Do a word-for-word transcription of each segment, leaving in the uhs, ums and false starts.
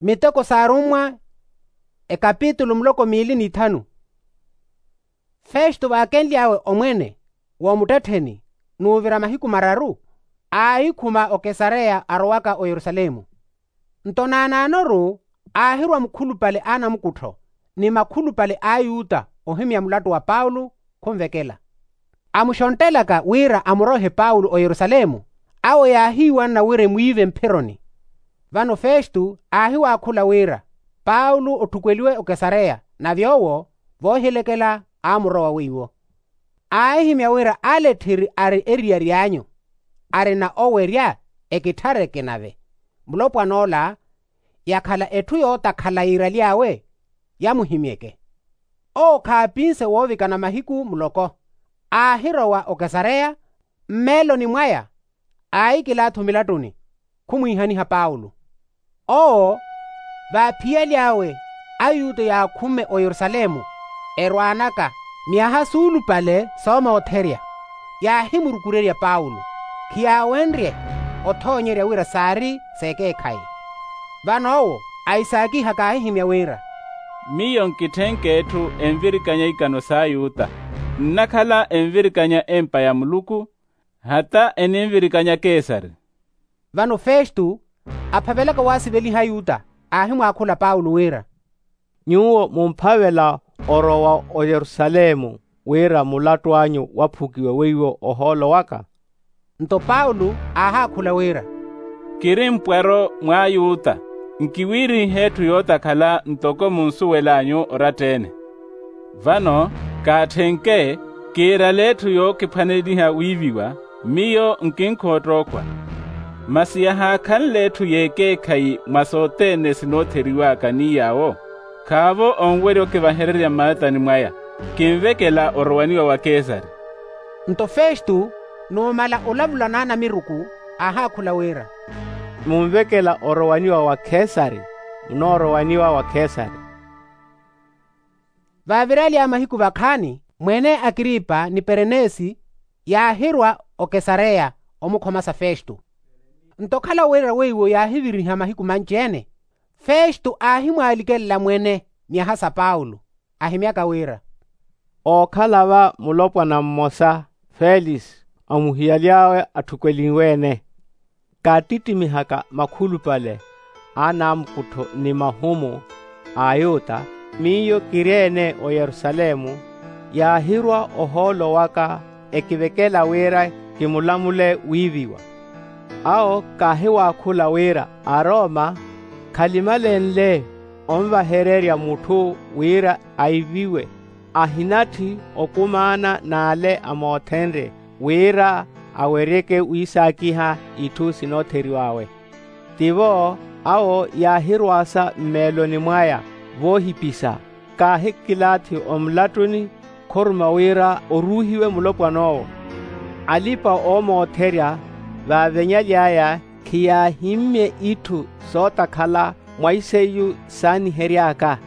Miteko s'arummwa, ekapitulu muloko miili n'ithanu. Festo vaakenly'awe omwene, w'omuttettheni n'uvira mahiku mararu, aahikhuma okesareya arowaka oyerusalemu. Nto naanaanoru aahirwa mukhulupale a anamukuttho, ni makhulupale a ayuta ohimya mulattu wa paulo, khunvekela. Amuxonttelaka wira amurohe paulo oyerusalemu, awo yaahiiwanna wira emwiive mphironi. Vano festo aahiwaakhula wira, paulo otthukweliwe okesareya, nave owo voohilekela aamurowa weiwo. Aahihimya wira aletthiri ari eriyari anyu, arina owerya, ekitthare kinave. Mulopwan'ola yakhala etthu yootakhala yiiraly'awe, yamuhimyeke. Owo khaapinse woovikana mahiku muloko, aahirowa okesareya. Mmeeloni mwaya aahikilaathi omilattuni, khumwiihaniha paulo. Owo vaaphiyaly'awe, ayuta yaakhumme oyerusalemu, erwaanaka myaha suulupale soomootherya, yaahimurukurerya paulo, khiyaawenrye othoonyerya wira saari s'ekeekhayi. Vano owo ahisaakiha kaahihimya wira, miyo nkitthenk'etthu envirikanya ikano s'ayuta, nnakhala envirikanya empa ya muluku, hata eninvirikanya kesari. Vano festo aphavelaka waasiveliha ayuta, aahimwaakhula paulo wira, nyuwo mumphavela orowa oyerusalemu, wira mulattu anyu waphukiwe weiwo ohoolo waka? Nto paulo aahaakhula wira, kiri mpwaro mw'ayuta, nkiwiirihe etthu yootakhala ntoko munsuwel'anyu oratta-ene. Vano kaatthenke, kiirale etthu yookiphwaneliha wiiviwa, miyo nkinkhoottokhwa. Masi yahaakhanle etthu y'ekeekhayi mwa sothene sinootheriw'aka ni yaawo, khaavo onwerya okivahererya mmaatani mwaya. Kinvekela orowaniwa wa kesari. Nto festo numala olavula n'anamiruku, aahaakhula wira, munvekela orowaniwa wa kesari, munoorowaniwa wa kesari. Vaavir'alya mahiku vakhaani mwene akripa ni perenesi, yaahirwa okesareya omukhomasa festo. Nto okhala wira weiwo yaahiviriha mahiku manci-ene, festo aahimwaalikelela mwene myaha sa paulo, ahimyaka wira, ookhala va mulopwana mmosa, felisi, amuhiyaly'awe atthukwelinwe-ene. Kaattittimihaka makhulupale a anaamukuttho ni mahumu a ayuta, miyo kiri-ene oyerusalemu, yaahirwa ohoolo waka, ekivekela wira kimulamule wiiviwa. Awo kaahiwaakhula wira aroma khalimalenle onvahererya mutthu wira aiviwe, ahinatthi okumaana n'ale amoothenrye wira aweryeke wiisaakiha itthu sinootheriw'awe. Tivo awo yaahirwaasa mmeeloni mwaya voohipisa, kaahikilaathi omulattuni khuruma wira oruuhiwe mulopwan'owo. Alipa-oomootherya vaavenyaly'aya khiyaahimmye itthu sootakhala mwa iseiyu saanihery'aka.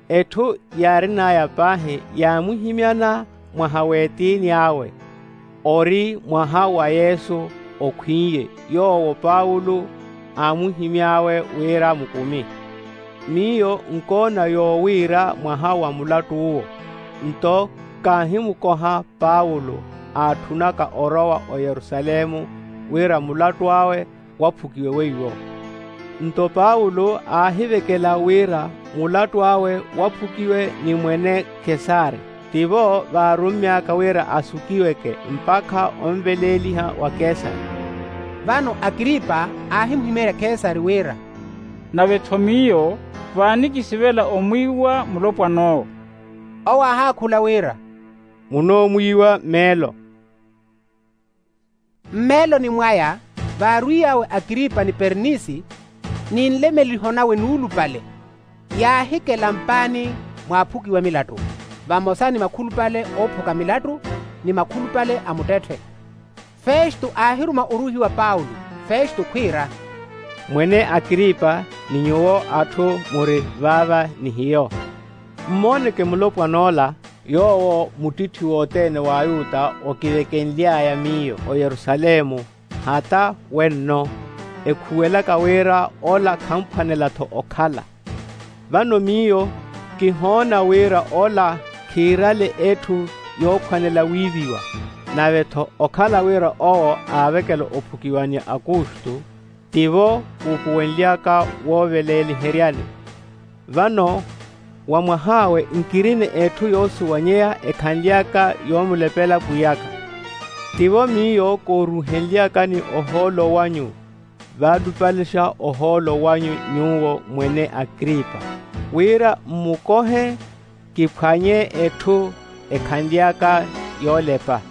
Etthu yaarin'aya paahi yaamuhimyana mwaha w'etiini awe, ori mwaha wa yesu okhwin'ye, yoowo paulo aamuhimy'awe wira mukumi. Miyo nkoona yoowiira mwaha wa mulattu uwo. Nto kaahimukoha paulo aatthunaka orowa oyerusalemu wira mulattu awe waphukiwe weiwo. Nto paulo aahivekela wira mulattu awe waphukiwe ni mwene kesari, tivo vaarummy'aka wira asukiweke mpakha onveleeliha wa kesari. Vano akripa aahimuhimeerya kesari wira, nave-tho miyo vaanikisivela omwiiwa mulopwan'owo. Owo aahaakhula wira, munoomwiiwa meelo. Mmeeloni mwaya vaarwiy'awe akripa ni pernisi, ni nlemeliho nawe nuulupale, yaahikela mpaani mwaaphukiwa milattu, vamosa ni makhulupale oophuka milattu, ni makhulupale a muttetthe. Festo aahiruma oruuhiwa paulo, festo khwiira, mwene akripa, ni nyuwo atthu muri vaava ni hiyo, mmooneke mulopwan'ola, yoowo muttitthi wothene w'ayuta okivekenly'aya miyo oyerusalemu, hata wenno. ekhuwelaka wira ola khamphwanela-tho okhala. Vano miyo kihoona wira ola khiirale etthu yookhwanela wiiviwa. Nave-tho okhala wira owo aavekela ophukiwa ni akustu, tivo kuupuwenly'aka wooveleeliheryani. Vano wa mwah'awe nkirina etthu yoosuwanyeya ekhanly'aka yoomulepela pwiy'aka. Tivo miyo kooruuhenly'akani ohoolo wanyu, vaalupalexa ohoolo wanyu nyuwo mwene akripa, wira mmukohe kiphwanye etthu ekhanly'aka yoolepa.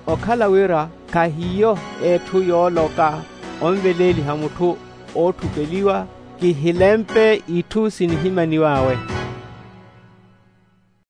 Okhala wira khahiyo etthu yooloka onveleeliha mutthu ootthupeliwa, kihilempe itthu sinihimaniw'awe.